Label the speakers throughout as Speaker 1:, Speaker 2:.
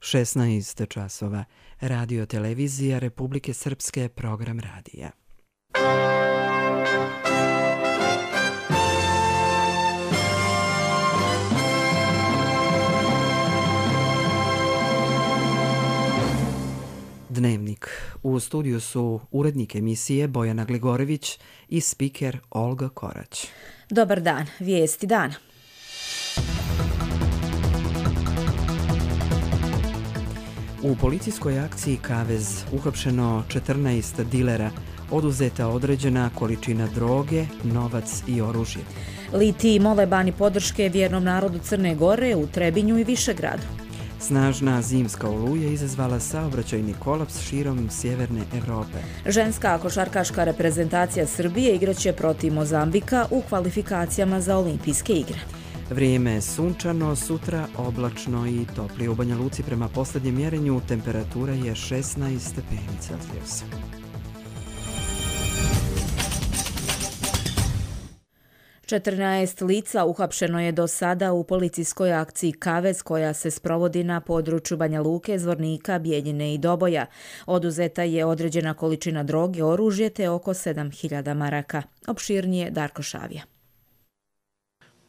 Speaker 1: 16 časova. Radio televizija Republike Srpske, program radija. Dnevnik. U studiju su urednik emisije Bojana Gligorović i spiker Olga Korać.
Speaker 2: Dobar dan, vijesti dana.
Speaker 1: U policijskoj akciji Kavez uhapšeno 14 dilera, oduzeta određena količina droge, novac i oružje.
Speaker 2: Litiji mole bani podrške vjernom narodu Crne Gore u Trebinju i Višegradu.
Speaker 1: Snažna zimska oluja izazvala saobraćajni kolaps širom sjeverne Evrope.
Speaker 2: Ženska košarkaška reprezentacija Srbije igraće protiv Mozambika u kvalifikacijama za olimpijske igre.
Speaker 1: Vrijeme je sunčano, sutra oblačno i toplije. U Banja Luci prema posljednjem mjerenju temperatura je 16 stepeni Celzijusa.
Speaker 2: Četrnaest lica uhapšeno je do sada u policijskoj akciji Kavez koja se sprovodi na području Banja Luke, Zvornika, Bijeljine i Doboja. Oduzeta je određena količina droge, oružje te oko 7.000 maraka. Opširnije Darko Šavija.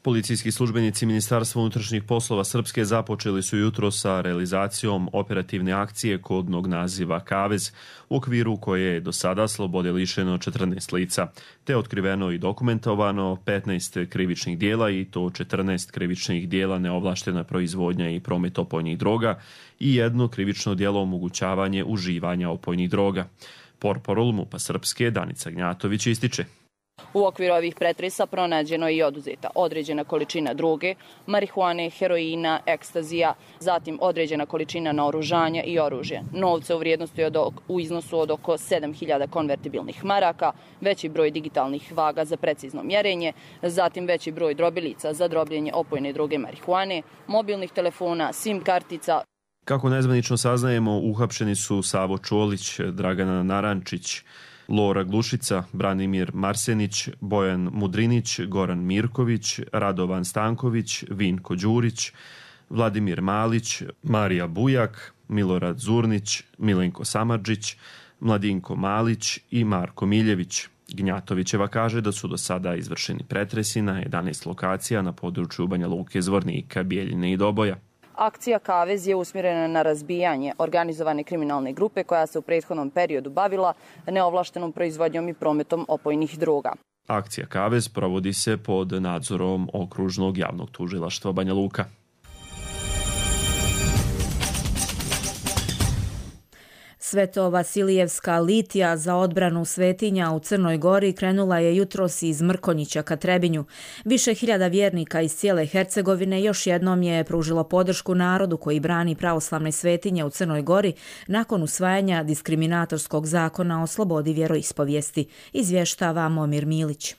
Speaker 3: Policijski službenici Ministarstva unutrašnjih poslova Srpske započeli su jutro sa realizacijom operativne akcije kodnog naziva Kavez, u okviru koje je do sada slobode lišeno 14 lica, te otkriveno i dokumentovano 15 krivičnih dijela i to 14 krivičnih dijela neovlaštena proizvodnja i promet opojnih droga i jedno krivično djelo omogućavanje uživanja opojnih droga. Portparol MUP-a Srpske Danica Gnjatović ističe.
Speaker 4: U okviru ovih pretresa pronađeno je i oduzeta određena količina droge, marihuane, heroina, ekstazija, zatim određena količina naoružanja i oružja. Novce u vrijednosti u iznosu od oko 7.000 konvertibilnih maraka, veći broj digitalnih vaga za precizno mjerenje, zatim veći broj drobilica za drobljenje opojne droge marihuane, mobilnih telefona, SIM kartica.
Speaker 3: Kako nezvanično saznajemo, uhapšeni su Savo Čolić, Dragana Narančić, Lora Glušica, Branimir Marsenić, Bojan Mudrinić, Goran Mirković, Radovan Stanković, Vinko Đurić, Vladimir Malić, Marija Bujak, Milorad Zurnić, Milenko Samardžić, Mladinko Malić i Marko Miljević. Gnjatovićeva kaže da su do sada izvršeni pretresi na 11 lokacija na području Banja Luke, Zvornika, Bijeljine i Doboja.
Speaker 4: Akcija Kavez je usmjerena na razbijanje organizovane kriminalne grupe koja se u prethodnom periodu bavila neovlaštenom proizvodnjom i prometom opojnih droga.
Speaker 3: Akcija Kavez provodi se pod nadzorom Okružnog javnog tužilaštva Banja Luka.
Speaker 2: Sveto-Vasilijevska litija za odbranu svetinja u Crnoj Gori krenula je jutros iz Mrkonjića ka Trebinju. Više hiljada vjernika iz cijele Hercegovine još jednom je pružilo podršku narodu koji brani pravoslavne svetinje u Crnoj Gori nakon usvajanja diskriminatorskog zakona o slobodi vjeroispovijesti, izvještava Momir Milić.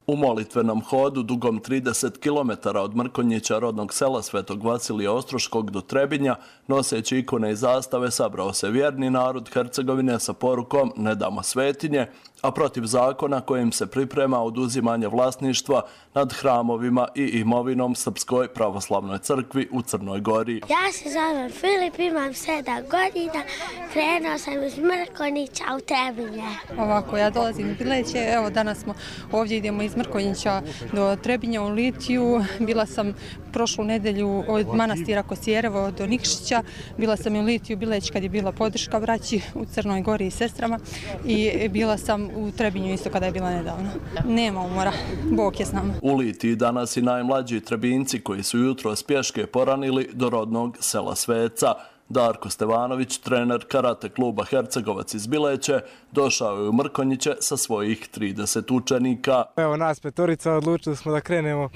Speaker 5: U molitvenom hodu dugom 30 km od Mrkonjića, rodnog sela Svetog Vasilija Ostroškog do Trebinja, noseći ikone i zastave, sabrao se vjerni narod Hercegovine sa porukom "Ne damo svetinje", a protiv zakona kojim se priprema oduzimanje vlasništva nad hramovima i imovinom Srpskoj pravoslavnoj crkvi u Crnoj Gori.
Speaker 6: Ja se zovem Filip, imam 7 godina, krenuo sam iz Mrkonjića u Trebinje.
Speaker 7: Ovako, ja dolazim iz Bileće, evo danas smo ovdje, idemo iz Mrkonjića do Trebinja u litiju. Bila sam prošlu nedelju od manastira Kosjerevo do Nikšića, bila sam u litiju Bileć kad je bila podrška braći u Crnoj Gori i sestrama i bila sam u Trebinju isto kada je bila nedavno. Nema umora, Bog je s nama.
Speaker 5: U litiji danas i najmlađi Trebinci koji su jutro s pješke poranili do rodnog sela Sveca. Darko Stevanović, trener karate kluba Hercegovac iz Bileće, došao je u Mrkonjiće sa svojih 30 učenika.
Speaker 8: Evo nas petorica, odlučili smo da krenemo.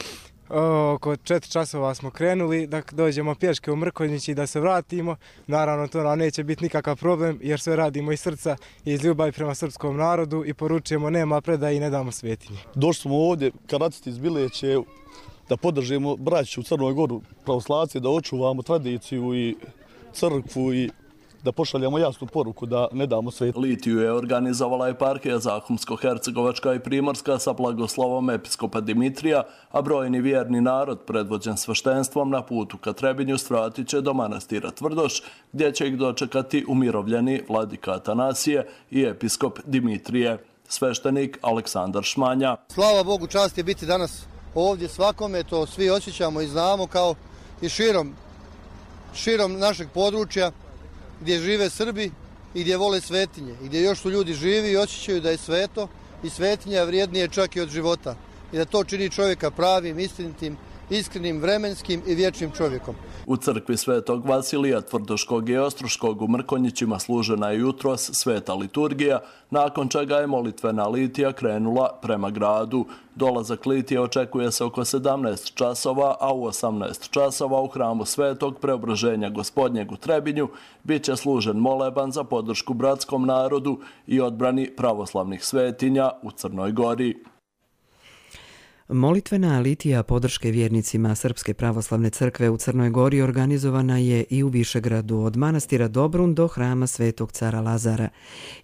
Speaker 8: Oko 4 časova smo krenuli, da dođemo pješke u Mrkonjić i da se vratimo. Naravno, to nam neće biti nikakav problem jer sve radimo iz srca i iz ljubavi prema srpskom narodu i poručujemo nema predaje i ne damo svetinje.
Speaker 9: Došli smo ovdje, karatisti iz Bileće, da podržimo braću u Crnoj Goru pravoslavci, da očuvamo tradiciju i crkvu i da pošaljemo jasnu poruku da ne damo svet.
Speaker 5: Litiju je organizovala eparhija Zahumsko-hercegovačka i Primorska sa blagoslovom episkopa Dimitrija, a brojni vjerni narod predvođen sveštenstvom na putu ka Trebinju svratit će do manastira Tvrdoš, gdje će ih dočekati umirovljeni vladika Atanasije i episkop Dimitrije. Sveštenik Aleksandar Šmanja.
Speaker 10: Slava Bogu, čast je biti danas ovdje svakome, to svi osjećamo i znamo, kao i širom našeg područja gdje žive Srbi i gdje vole svetinje i gdje još su ljudi živi i osjećaju da je sveto i svetinja vrijednije čak i od života i da to čini čovjeka pravim, istinitim, iskrenim, vremenskim i vječnim čovjekom.
Speaker 5: U crkvi Svetog Vasilija Tvrdoškog i Ostroškog u Mrkonjićima služena je jutros sveta liturgija, nakon čega je molitvena litija krenula prema gradu. Dolazak litije očekuje se oko 17 časova, a u 18 časova u hramu Svetog Preobraženja Gospodnjeg u Trebinju bit će služen moleban za podršku bratskom narodu i odbrani pravoslavnih svetinja u Crnoj Gori.
Speaker 1: Molitvena litija podrške vjernicima Srpske pravoslavne crkve u Crnoj Gori organizovana je i u Višegradu od manastira Dobrun do hrama Svetog cara Lazara.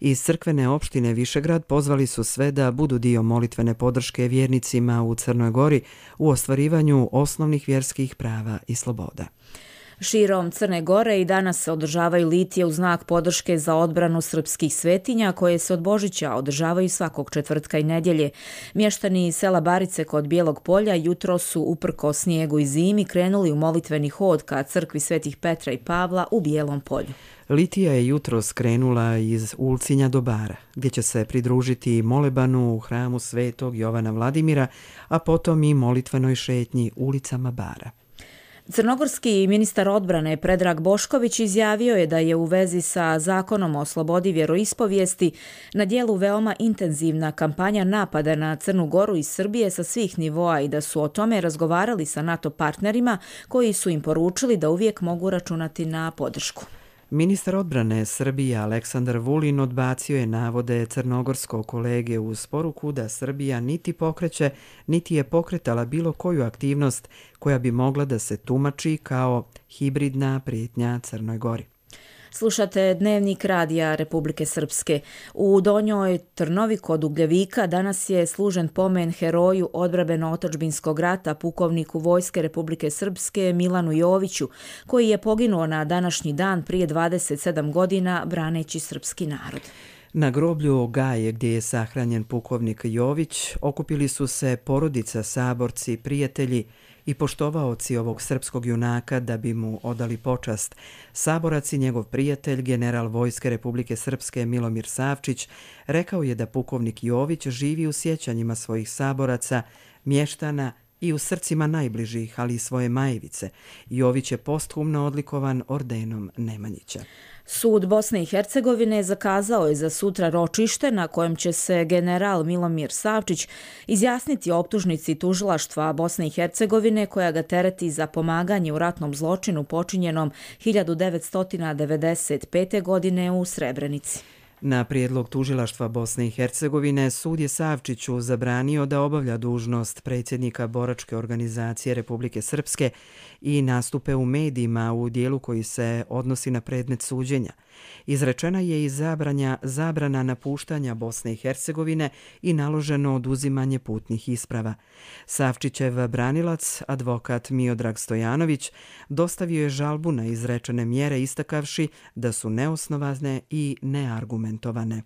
Speaker 1: Iz crkvene opštine Višegrad pozvali su sve da budu dio molitvene podrške vjernicima u Crnoj Gori u ostvarivanju osnovnih vjerskih prava i sloboda.
Speaker 2: Širom Crne Gore i danas se održavaju litije u znak podrške za odbranu srpskih svetinja koje se od Božića održavaju svakog četvrtka i nedjelje. Mještani iz sela Barice kod Bijelog polja jutro su uprko snijegu i zimi krenuli u molitveni hod ka crkvi Svetih Petra i Pavla u Bijelom polju.
Speaker 1: Litija je jutro skrenula iz Ulcinja do Bara, gdje će se pridružiti molebanu u hramu Svetog Jovana Vladimira, a potom i molitvenoj šetnji ulicama Bara.
Speaker 2: Crnogorski ministar odbrane Predrag Bošković izjavio je da je u vezi sa zakonom o slobodi vjeroispovijesti na dijelu veoma intenzivna kampanja napada na Crnu Goru iz Srbije sa svih nivoa i da su o tome razgovarali sa NATO partnerima koji su im poručili da uvijek mogu računati na podršku.
Speaker 1: Ministar odbrane Srbije Aleksandar Vulin odbacio je navode crnogorskog kolege uz poruku da Srbija niti pokreće, niti je pokretala bilo koju aktivnost koja bi mogla da se tumači kao hibridna prijetnja Crnoj Gori.
Speaker 2: Slušate Dnevnik radija Republike Srpske. U Donjoj Trnovi kod Ugljevika danas je služen pomen heroju odbrambeno-otadžbinskog rata pukovniku Vojske Republike Srpske Milanu Joviću, koji je poginuo na današnji dan prije 27 godina braneći srpski narod.
Speaker 1: Na groblju Gaje, gdje je sahranjen pukovnik Jović, okupili su se porodica, saborci, prijatelji i poštovaoci ovog srpskog junaka da bi mu odali počast. Saborac i njegov prijatelj, general Vojske Republike Srpske Milomir Savčić, rekao je da pukovnik Jović živi u sjećanjima svojih saboraca, mještana i u srcima najbližih, ali i svoje Majevice. Jović je posthumno odlikovan ordenom Nemanjića.
Speaker 2: Sud Bosne i Hercegovine zakazao je za sutra ročište na kojem će se general Milomir Savčić izjasniti o optužnici tužilaštva Bosne i Hercegovine koja ga tereti za pomaganje u ratnom zločinu počinjenom 1995. godine u Srebrenici.
Speaker 1: Na prijedlog tužilaštva Bosne i Hercegovine sud je Savčiću zabranio da obavlja dužnost predsjednika boračke organizacije Republike Srpske i nastupe u medijima u dijelu koji se odnosi na predmet suđenja. Izrečena je i zabrana napuštanja Bosne i Hercegovine i naloženo oduzimanje putnih isprava. Savčićev branilac, advokat Miodrag Stojanović, dostavio je žalbu na izrečene mjere istakavši da su neosnovane i neargumentovane.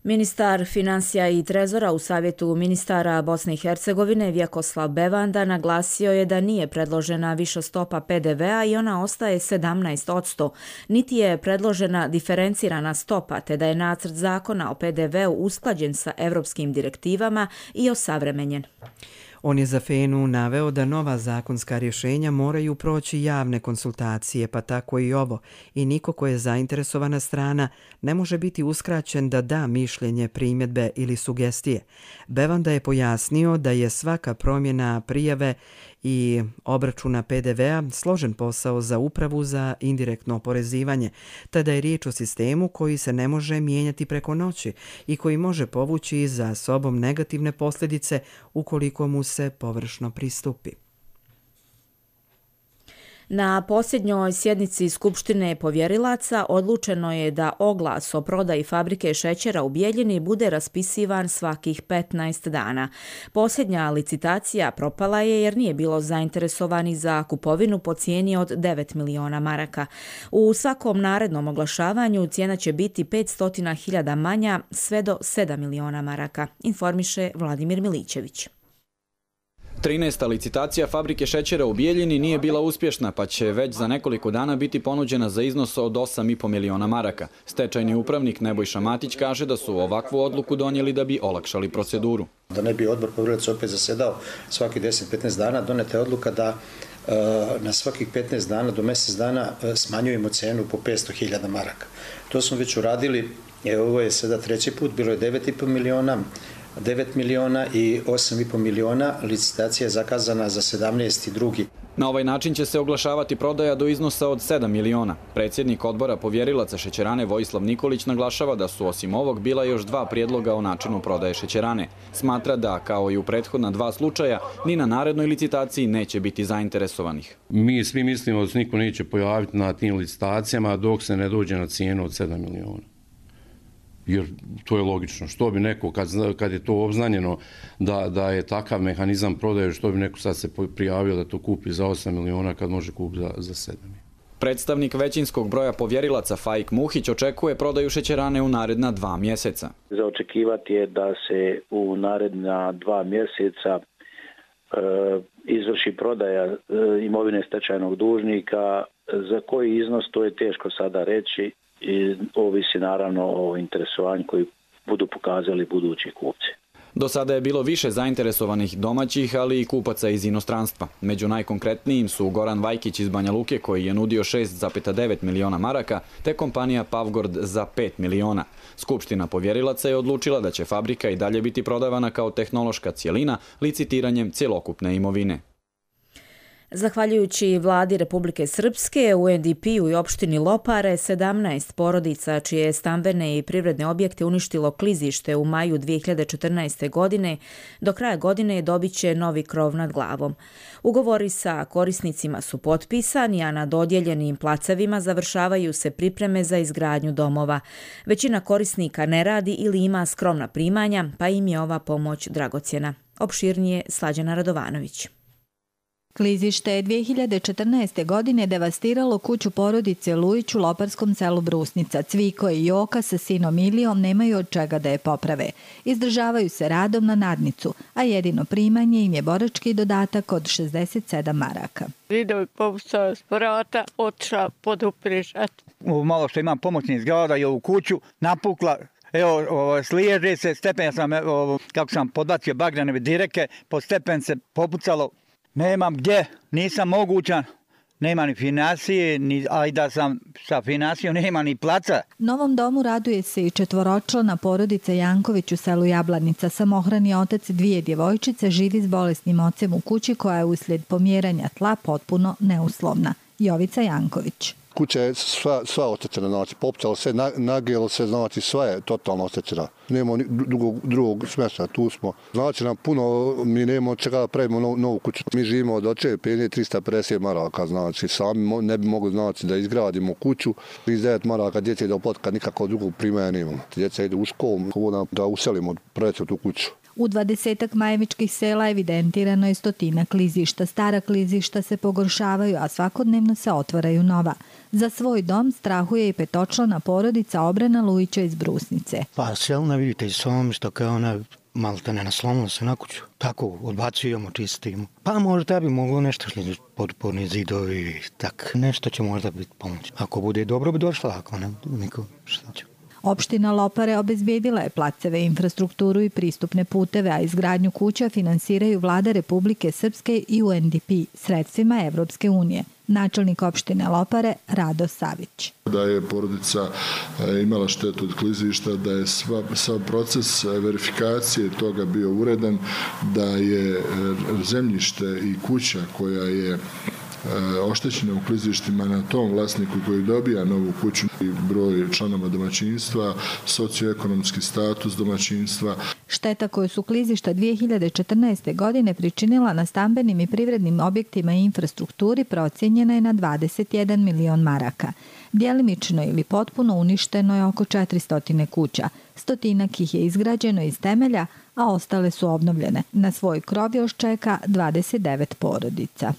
Speaker 2: Ministar financija i trezora u Savjetu ministara Bosne i Hercegovine Vjekoslav Bevanda naglasio je da nije predložena viša stopa PDV-a i ona ostaje 17%, niti je predložena diferencirana stopa, te da je nacrt zakona o PDV-u usklađen sa evropskim direktivama i osavremenjen.
Speaker 1: On je za FENU naveo da nova zakonska rješenja moraju proći javne konsultacije, pa tako i ovo, i niko ko je zainteresovana strana ne može biti uskraćen da da mišljenje, primjedbe ili sugestije. Bevanda je pojasnio da je svaka promjena prijave i obračuna PDV-a složen posao za upravu za indirektno oporezivanje, te da je riječ o sistemu koji se ne može mijenjati preko noći i koji može povući za sobom negativne posljedice ukoliko mu se površno pristupi.
Speaker 2: Na posljednjoj sjednici Skupštine povjerilaca odlučeno je da oglas o prodaji fabrike šećera u Bijeljini bude raspisivan svakih 15 dana. Posljednja licitacija propala je jer nije bilo zainteresovanih za kupovinu po cijeni od 9 miliona maraka. U svakom narednom oglašavanju cijena će biti 500.000 manja sve do 7 miliona maraka, informiše Vladimir Milićević.
Speaker 11: 13. licitacija fabrike šećera u Bijeljini nije bila uspješna, pa će već za nekoliko dana biti ponuđena za iznos od 8,5 miliona maraka. Stečajni upravnik Nebojša Matić kaže da su ovakvu odluku donijeli da bi olakšali proceduru.
Speaker 12: Da ne bi odbor povjerilaca opet zasedao svaki 10-15 dana, doneta je odluka da na svakih 15 dana do mjesec dana smanjujemo cenu po 500.000 maraka. To smo već uradili, ovo je sada treći put, bilo je 9,5 miliona, 9 miliona i 8,5 miliona, licitacija je zakazana za 17.2.
Speaker 11: Na ovaj način će se oglašavati prodaja do iznosa od 7 miliona. Predsjednik odbora povjerilaca šećerane Vojislav Nikolić naglašava da su osim ovog bila još 2 prijedloga o načinu prodaje šećerane. Smatra da, kao i u prethodna 2 slučaja, ni na narednoj licitaciji neće biti zainteresovanih.
Speaker 13: Mi svi mislimo da se niko neće pojaviti na tim licitacijama dok se ne dođe na cijenu od 7 miliona. Jer to je logično. Što bi neko, kad je to obznanjeno da je takav mehanizam prodaje, što bi neko sad se prijavio da to kupi za 8 miliona kad može kupiti za 7.
Speaker 11: Predstavnik većinskog broja povjerilaca Faik Muhić očekuje prodaju šećerane u naredna 2 mjeseca.
Speaker 14: Za očekivati je da se u naredna 2 mjeseca izvrši prodaja imovine stečajnog dužnika. Za koji iznos to je teško sada reći. I ovisi naravno o interesovanju koji budu pokazali budući kupci.
Speaker 11: Do sada je bilo više zainteresovanih domaćih, ali i kupaca iz inostranstva. Među najkonkretnijim su Goran Vajkić iz Banja Luke koji je nudio 6,9 miliona maraka, te kompanija Pavgord za 5 miliona. Skupština povjerilaca je odlučila da će fabrika i dalje biti prodavana kao tehnološka cjelina licitiranjem cjelokupne imovine.
Speaker 2: Zahvaljujući vladi Republike Srpske, u UNDP-u i opštini Lopare 17 porodica čije stambene i privredne objekte uništilo klizište u maju 2014. godine, do kraja godine dobit će novi krov nad glavom. Ugovori sa korisnicima su potpisani, a na dodijeljenim placevima završavaju se pripreme za izgradnju domova. Većina korisnika ne radi ili ima skromna primanja, pa im je ova pomoć dragocjena. Opširnije Slađana Radovanović.
Speaker 15: Klizište je 2014. godine devastiralo kuću porodice Lujić u loparskom selu Brusnica. Cviko i Joka sa sinom Ilijom nemaju od čega da je poprave. Izdržavaju se radom na nadnicu, a jedino primanje im je borački dodatak od 67 maraka.
Speaker 16: Zidovi povucao s vrata, otišla poduprižat.
Speaker 17: Malo što imam pomoćnih zgrada i ovu kuću napukla. Evo, sliježe se, stepen sam, kako sam podbacio bagrane direke, pod stepen se popucalo. Nemam gdje, nisam mogućan, nema ni financije, a i da sam sa financijom nema ni placa.
Speaker 15: Novom domu raduje se i 4-člana porodica Janković u selu Jablanica. Samohrani otac 2 djevojčice živi s bolesnim ocem u kući koja je uslijed pomjeranja tla potpuno neuslovna. Jovica Janković.
Speaker 9: Kuća je sva oštećena, znači popcalo se, nagijelo se, znači sva je totalno oštećena. Nemamo drugog smještaja, tu smo. Znači nam puno, mi nemamo čega da pravimo novu kuću. Mi živimo od očeve penje 350 maraka, znači sami ne bi mogli znači da izgradimo kuću. 39 maraka djece do potka nikako drugog primanja nemamo. Djeca ide u školu, da uselimo preći tu kuću.
Speaker 15: U 20 majevičkih sela evidentirano je 100 klizišta. Stara klizišta se pogoršavaju, a svakodnevno se otvaraju nova. Za svoj dom strahuje i 5-člana porodica Obrana Lujića iz Brusnice.
Speaker 18: Pa selna vidite i sam što kao ona malo te ne naslomila se na kuću. Tako odbacujemo, čistimo. Pa možda bi moglo nešto potporni zidovi, tak. Nešto će možda biti pomoć. Ako bude dobro bi došla, ako ne, niko šta će.
Speaker 15: Opština Lopare obezbijedila je placeve, infrastrukturu i pristupne puteve, a izgradnju kuća finansiraju vlada Republike Srpske i UNDP sredstvima Evropske unije. Načelnik opštine Lopare Rado Savić.
Speaker 19: Da je porodica imala štetu od klizišta, da je sav proces verifikacije toga bio uredan, da je zemljište i kuća koja je oštećene u klizištima na tom vlasniku koji dobija novu kuću i broj članova domaćinstva, socioekonomski status domaćinstva.
Speaker 15: Šteta koju su klizišta 2014. godine pričinila na stambenim i privrednim objektima i infrastrukturi procijenjena je na 21 milion maraka. Djelimično ili potpuno uništeno je oko 400 kuća. 100 ih je izgrađeno iz temelja, a ostale su obnovljene. Na svoj krov još čeka 29 porodica.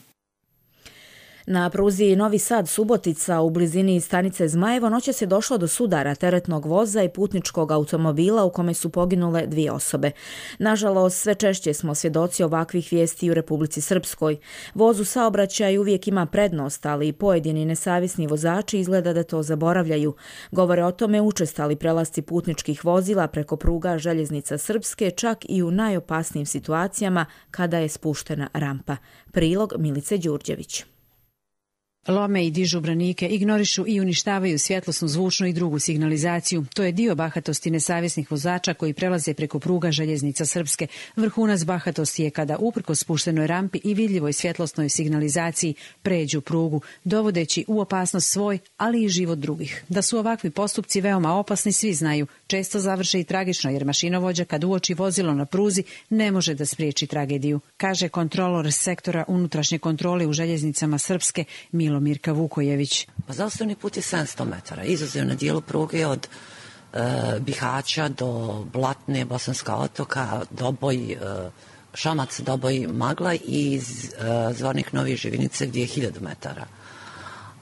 Speaker 2: Na pruzi Novi Sad-Subotica u blizini stanice Zmajevo noćas je došlo do sudara teretnog voza i putničkog automobila u kome su poginule 2 osobe. Nažalost, sve češće smo svjedoci ovakvih vijesti u Republici Srpskoj. Voz u saobraćaju uvijek ima prednost, ali i pojedini nesavjesni vozači izgleda da to zaboravljaju. Govore o tome učestali prelasci putničkih vozila preko pruga Željeznica Srpske, čak i u najopasnijim situacijama kada je spuštena rampa. Prilog Milice Đurđević.
Speaker 20: Lome i dižu branike, ignorišu i uništavaju svjetlosnu, zvučnu i drugu signalizaciju. To je dio bahatosti nesavjesnih vozača koji prelaze preko pruga Željeznica Srpske. Vrhunac bahatosti je kada uprkos spuštenoj rampi i vidljivoj svjetlosnoj signalizaciji pređu prugu, dovodeći u opasnost svoj, ali i život drugih. Da su ovakvi postupci veoma opasni svi znaju. Često završe i tragično jer mašinovođa kad uoči vozilo na pruzi ne može da spriječi tragediju, kaže kontrolor sektora unutrašnje kontrole u Željeznicama Srpske Milomir Vukojević.
Speaker 21: Zaustavni put je 700 metara, izuzev na dijelu pruge od Bihaća do Blatne, Bosanska otoka, Doboj, Šamac, Doboj, Magla i Zvornik Novi Živinice gdje je 1000 metara.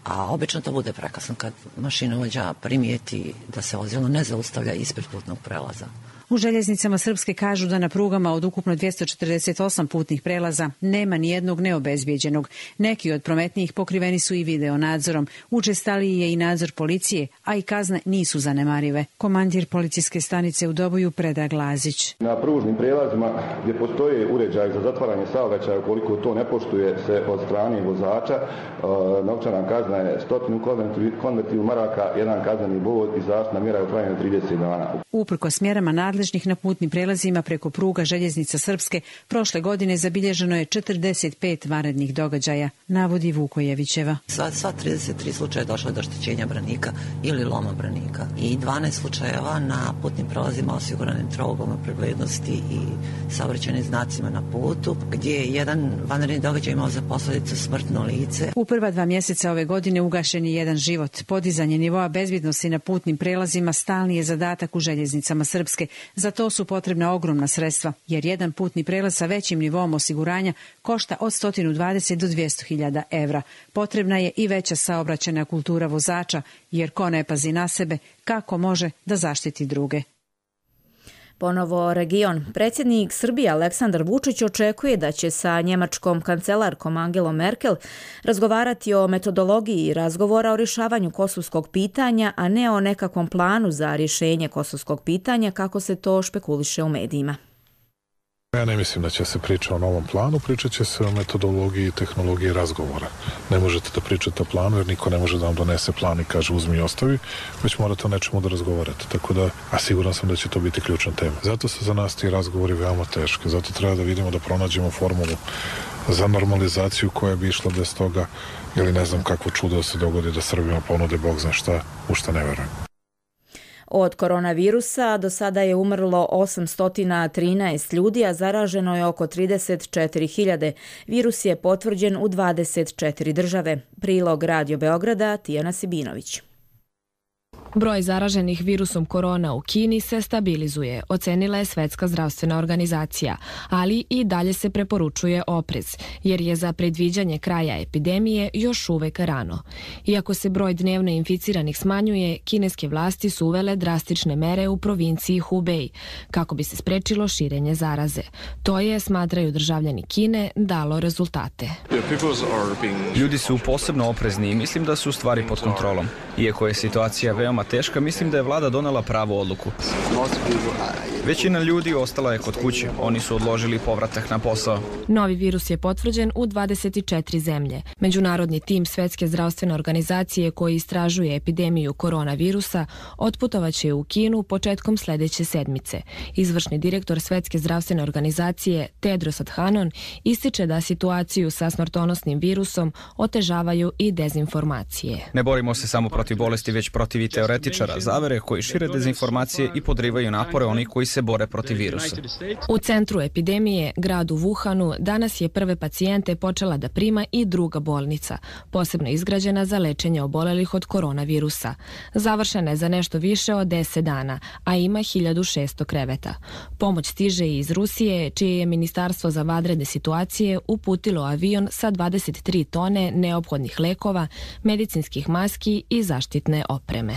Speaker 21: A obično to bude prekasno kad mašinovođa primijeti da se vozilo ne zaustavlja ispred putnog prelaza.
Speaker 20: U Željeznicama Srpske kažu da na prugama od ukupno 248 putnih prelaza nema ni jednog neobezbijeđenog. Neki od prometnijih pokriveni su i video nadzorom. Učestaliji je i nadzor policije, a i kazne nisu zanemarive. Komandir policijske stanice u Doboju Predrag Lazić.
Speaker 22: Na pružnim prijelazima gdje postoje uređaj za zatvaranje saobraćaja, ukoliko to ne poštuje se od strane vozača, novčana kazna je 100 konvertivu maraka, jedan kazneni bod i zaštitna mjera u trajanju 30 dana.
Speaker 20: Uprkos mjerama nadležnih na putnim prelazima preko pruga Željeznica Srpske, prošle godine zabilježeno je 45 vanrednih događaja, navodi Vukojevićeva.
Speaker 21: Sva 33 slučaja došlo do oštećenja branika ili loma branika i 12 slučajeva na putnim prelazima osiguranim trogom preglednosti i saobraćajnim znacima na putu, gdje je jedan vanredni događaj imao za posljedicu smrtno lice.
Speaker 20: U prva 2 mjeseca ove godine ugašen je jedan život. Podizanje nivoa bezbjednosti na putnim prelazima stalni je zadatak u Željeznicama Srpske. Za to su potrebna ogromna sredstva, jer jedan putni prelaz sa većim nivom osiguranja košta od 120 do 200.000 evra. Potrebna je i veća saobraćajna kultura vozača, jer ko ne pazi na sebe, kako može da zaštiti druge.
Speaker 2: Ponovo region. Predsjednik Srbije Aleksandar Vučić očekuje da će sa njemačkom kancelarkom Angelom Merkel razgovarati o metodologiji razgovora o rješavanju kosovskog pitanja, a ne o nekakvom planu za rješenje kosovskog pitanja kako se to špekuliše u medijima.
Speaker 23: Ja ne mislim da će se priča o novom planu, pričat će se o metodologiji i tehnologiji razgovora. Ne možete da pričate o planu jer niko ne može da vam donese plan i kaže uzmi i ostavi, već morate o nečemu da razgovarate. Tako da, a siguran sam da će to biti ključna tema. Zato su za nas ti razgovori veoma teški. Zato treba da vidimo da pronađemo formulu za normalizaciju koja bi išla bez toga ili ne znam kakvo čudo da se dogodi da Srbima ponude Bog zna šta, u šta ne verujem.
Speaker 2: Od koronavirusa do sada je umrlo 813 ljudi, a zaraženo je oko 34.000. Virus je potvrđen u 24 države. Prilog Radio Beograda, Tijana Sibinović.
Speaker 24: Broj zaraženih virusom korona u Kini se stabilizuje, ocenila je Svetska zdravstvena organizacija, ali i dalje se preporučuje oprez, jer je za predviđanje kraja epidemije još uvek rano. Iako se broj dnevno inficiranih smanjuje, kineske vlasti su uvele drastične mere u provinciji Hubei, kako bi se sprečilo širenje zaraze. To je, smatraju državljani Kine, dalo rezultate.
Speaker 25: Ljudi su posebno oprezni i mislim da su stvari pod kontrolom. Iako je situacija veoma teška, mislim da je vlada donela pravu odluku. Većina ljudi ostala je kod kuće. Oni su odložili povratak na posao.
Speaker 24: Novi virus je potvrđen u 24 zemlje. Međunarodni tim Svetske zdravstvene organizacije koji istražuje epidemiju koronavirusa otputovaće u Kinu početkom sljedeće sedmice. Izvršni direktor Svetske zdravstvene organizacije Tedros Adhanom ističe da situaciju sa smrtonosnim virusom otežavaju i dezinformacije.
Speaker 25: Ne borimo se samo protiv bolesti, već protiv i teoretike teoretičara zavere koji šire dezinformacije i podrivaju napore onih koji se bore protiv virusa.
Speaker 24: U centru epidemije, gradu Wuhanu, danas je prve pacijente počela da prima i druga bolnica, posebno izgrađena za lečenje obolelih od koronavirusa. Završena je za nešto više od 10 dana, a ima 1600 kreveta. Pomoć stiže i iz Rusije, čije je Ministarstvo za vanredne situacije uputilo avion sa 23 tone neophodnih lekova, medicinskih maski i zaštitne opreme.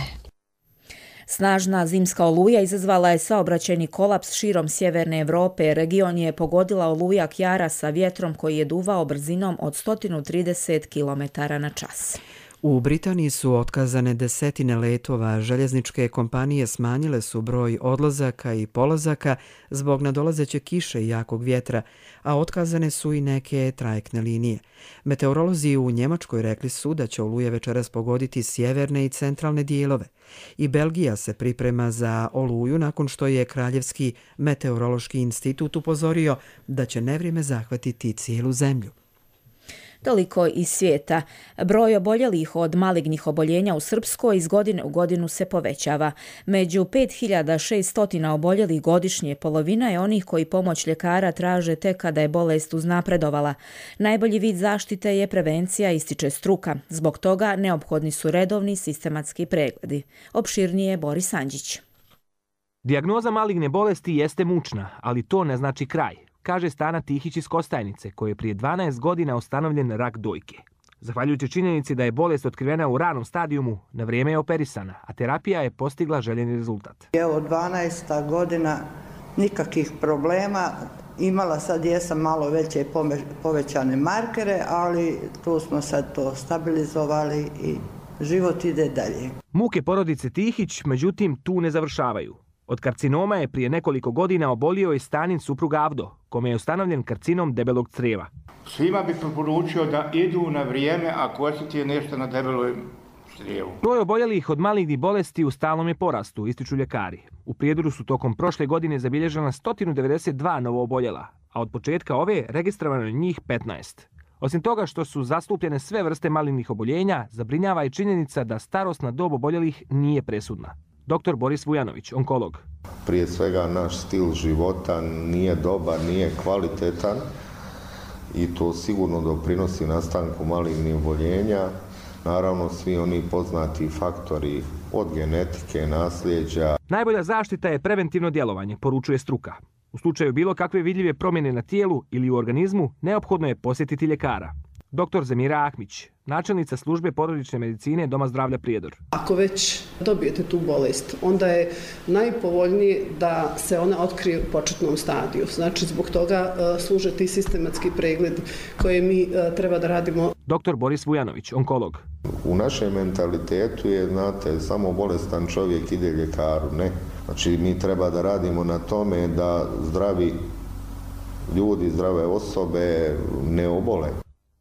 Speaker 2: Snažna zimska oluja izazvala je saobraćajni kolaps širom sjeverne Evrope. Region je pogodila oluja Kjara sa vjetrom koji je duvao brzinom od 130 km/h.
Speaker 1: U Britaniji su otkazane desetine letova, željezničke kompanije smanjile su broj odlazaka i polazaka zbog nadolazeće kiše i jakog vjetra, a otkazane su i neke trajektne linije. Meteorolozi u Njemačkoj rekli su da će oluje večeras pogoditi sjeverne i centralne dijelove. I Belgija se priprema za oluju nakon što je Kraljevski meteorološki institut upozorio da će nevrijeme zahvatiti cijelu zemlju.
Speaker 2: Toliko iz svijeta. Broj oboljelih od malignih oboljenja u Srpskoj iz godine u godinu se povećava. Među 5600 oboljelih godišnje polovina je onih koji pomoć ljekara traže tek kada je bolest uznapredovala. Najbolji vid zaštite je prevencija, ističe struka. Zbog toga neophodni su redovni sistematski pregledi. Opširnije Boris Anđić.
Speaker 3: Dijagnoza maligne bolesti jeste mučna, ali to ne znači kraj, kaže Stana Tihić iz Kostajnice, koji je prije 12 godina ustanovljen rak dojke. Zahvaljujući činjenici da je bolest otkrivena u ranom stadijumu, na vrijeme je operisana, a terapija je postigla željeni rezultat.
Speaker 4: Evo 12. godina, nikakvih problema. Imala sad jesam malo veće povećane markere, ali tu smo sad to stabilizovali i život ide dalje.
Speaker 3: Muke porodice Tihić, međutim, tu ne završavaju. Od karcinoma je prije nekoliko godina obolio i Stanin suprug Avdo, kome je ustanovljen karcinom debelog crijeva.
Speaker 6: Svima bi preporučio da idu na vrijeme ako osjeti nešto na debeloj crijevu.
Speaker 3: Broj oboljelih od malignih bolesti u stalnom je porastu, ističu ljekari. U Prijedoru su tokom prošle godine zabilježena 192 novooboljela, a od početka ove registrovano je njih 15. Osim toga što su zastupljene sve vrste malignih oboljenja, zabrinjava i činjenica da starosna dob oboljelih nije presudna. Dr. Boris Vujanović, onkolog.
Speaker 7: Prije svega naš stil života nije dobar, nije kvalitetan i to sigurno doprinosi nastanku malignih oboljenja. Naravno, svi oni poznati faktori od genetike, nasljeđa.
Speaker 3: Najbolja zaštita je preventivno djelovanje, poručuje struka. U slučaju bilo kakve vidljive promjene na tijelu ili u organizmu, neophodno je posjetiti ljekara. Dr. Zemira Ahmić, načelnica službe porodične medicine Doma zdravlja Prijedor.
Speaker 8: Ako već dobijete tu bolest, onda je najpovoljnije da se ona otkrije u početnom stadiju. Znači, zbog toga služe ti sistematski pregled koje mi treba da radimo.
Speaker 3: Dr. Boris Vujanović, onkolog.
Speaker 7: U našem mentalitetu je, znate, samo bolestan čovjek ide ljekaru, ne. Znači, mi treba da radimo na tome da zdravi ljudi, zdrave osobe ne obole.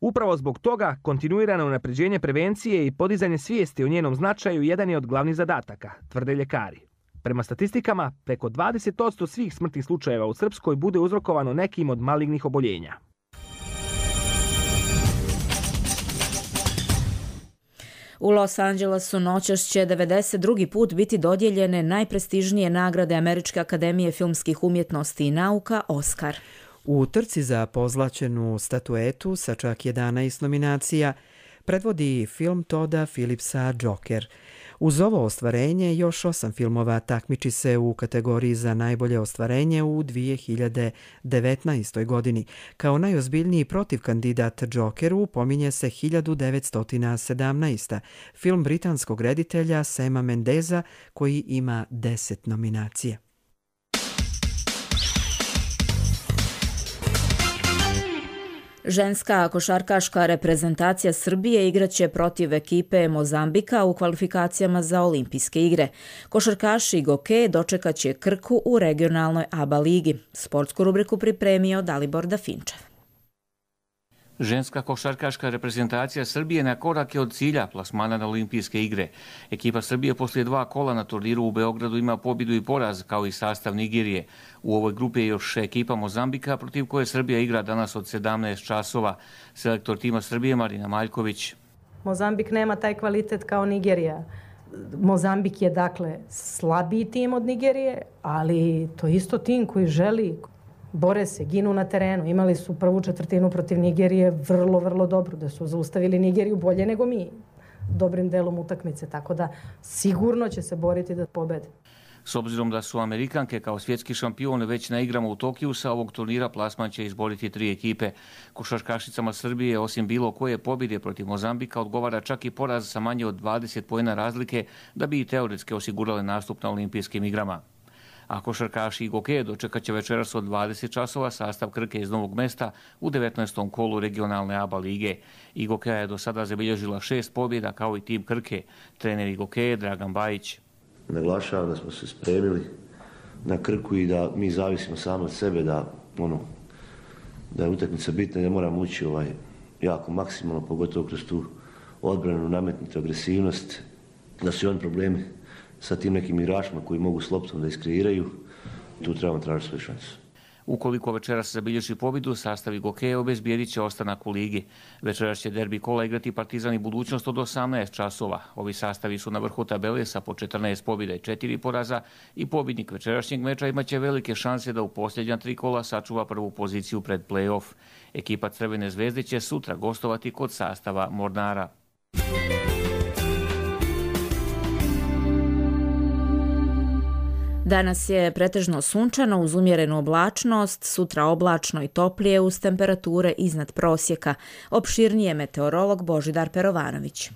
Speaker 3: Upravo zbog toga kontinuirano unapređenje prevencije i podizanje svijesti o njenom značaju jedan je od glavnih zadataka, tvrde ljekari. Prema statistikama, preko 20% svih smrtnih slučajeva u Srpskoj bude uzrokovano nekim od malignih oboljenja.
Speaker 2: U Los Angelesu noćas će 92. put biti dodijeljene najprestižnije nagrade Američke akademije filmskih umjetnosti i nauka Oscar.
Speaker 1: U trci za pozlaćenu statuetu sa čak 11 nominacija predvodi film Todda Phillipsa Joker. Uz ovo ostvarenje još 8 filmova takmiči se u kategoriji za najbolje ostvarenje u 2019. godini. Kao najozbiljniji protivkandidat Jokeru pominje se 1917. film britanskog reditelja Sama Mendesa koji ima 10 nominacija.
Speaker 2: Ženska košarkaška reprezentacija Srbije igraće protiv ekipe Mozambika u kvalifikacijama za olimpijske igre. Košarkaši Goke dočekaće Krku u regionalnoj ABA ligi. Sportsku rubriku pripremio Dalibor Dafinčev.
Speaker 26: Ženska košarkaška reprezentacija Srbije na korak je od cilja plasmana na olimpijske igre. Ekipa Srbije poslije 2 kola na turniru u Beogradu ima pobjedu i poraz, kao i sastav Nigerije. U ovoj grupi je još ekipa Mozambika, protiv koje Srbija igra danas od 17 časova. Selektor tima Srbije Marina Maljković.
Speaker 27: Mozambik nema taj kvalitet kao Nigerija.
Speaker 5: Mozambik je dakle slabiji tim od Nigerije, ali to je isto tim koji želi, bore se, ginu na terenu. Imali su prvu četvrtinu protiv Nigerije vrlo, vrlo dobro, da su zaustavili Nigeriju bolje nego mi, dobrim delom utakmice, tako da sigurno će se boriti da pobede.
Speaker 26: S obzirom da su Amerikanke kao svjetski šampion već na igrama u Tokiju, sa ovog turnira plasman će izboriti 3 ekipe. Košarkašicama Srbije, osim bilo koje pobjede protiv Mozambika, odgovara čak i poraz sa manje od 20 poena razlike da bi i teoretski osigurale nastup na olimpijskim igrama. A košarkaši i Gokeje dočekat će večeras od 20 časova sastav Krke iz Novog Mesta u 19. kolu regionalne ABA lige. I Gokeja je do sada zabilježila 6 pobjeda kao i tim Krke. Trener i Gokeje Dragan Bajić.
Speaker 10: Naglašavam da smo se spremili na Krku i da mi zavisimo sami od sebe, da je utakmica bitna i da moramo ući jako maksimalno, pogotovo kroz tu odbranu, nametnutu agresivnost, da su i oni problemi sa tim nekim igračima koji mogu s loptom da iskreiraju, tu trebamo tražiti svoju šansu.
Speaker 26: Ukoliko večeras zabilježi pobjedu, sastavi Gokeje obezbijedit će ostanak u ligi. Večeras će derbi kola igrati Partizan i Budućnost od 18 časova. Ovi sastavi su na vrhu tabele sa po 14 pobjeda i 4 poraza i pobjednik večerašnjeg meča imaće velike šanse da u posljednja 3 kola sačuva prvu poziciju pred play-off. Ekipa Crvene zvezde će sutra gostovati kod sastava Mornara.
Speaker 2: Danas je pretežno sunčano uz umjerenu oblačnost, sutra oblačno i toplije uz temperature iznad prosjeka. Opširnije meteorolog Božidar Perovanović.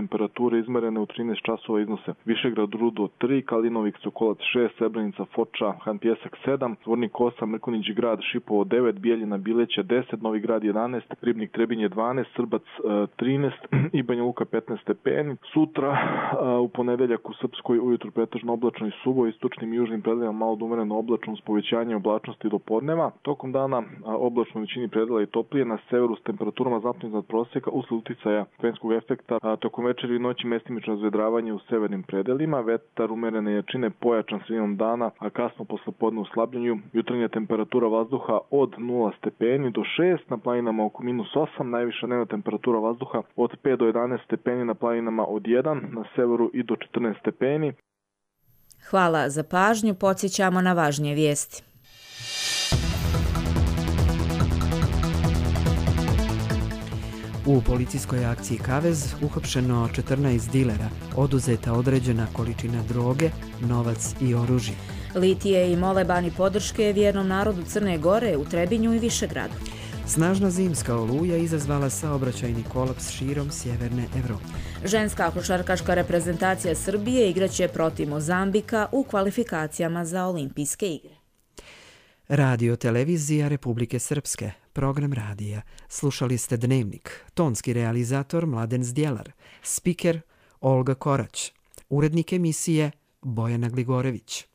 Speaker 11: Temperature izmerene u 13 časova iznose Višegrad Rudo 3, Kalinovik Sokolac 6, Srebrenica Foča, Han Pjesak 7, Zvornik 8, Mrkonić Grad Šipovo 9, Bijeljina Bileća 10, Novi Grad 11, Ribnik Trebinje 12, Srbac 13 i Banja Luka 15 stepeni. Sutra u ponedeljak u Srpskoj ujutru pretežno oblačno i suvo, istočnim i južnim predelima malo do umereno oblačno s povećanjem oblačnosti do podneva. Tokom dana oblačno u većini predela i toplije, na severu s temperaturama znatno iznad prosjeka usled uticaja fenskog efekta. Tokom večeri i noći mestimično razvedravanje u severnim predelima, vetar umerene jačine pojačan sredinom dana, a kasno poslepodne u slabljenju. Jutarnja temperatura vazduha od 0 stepeni do 6, na planinama oko -8, najviša dnevna temperatura vazduha od 5 do 11 stepeni, na planinama od 1, na severu i do 14 stepeni.
Speaker 2: Hvala za pažnju, podsjećamo na važnije vijesti.
Speaker 1: U policijskoj akciji Kavez uhapšeno 14 dilera, oduzeta određena količina droge, novac i oružje.
Speaker 2: Litije i molebani podrške vjernom narodu Crne Gore u Trebinju i Višegradu.
Speaker 1: Snažna zimska oluja izazvala saobraćajni kolaps širom sjeverne Evrope.
Speaker 2: Ženska košarkaška reprezentacija Srbije igraće protiv Mozambika u kvalifikacijama za olimpijske igre.
Speaker 1: Radio televizija Republike Srpske, program radija. Slušali ste Dnevnik, tonski realizator Mladen Zdjelar, spiker Olga Korać, urednik emisije Bojana Gligorević.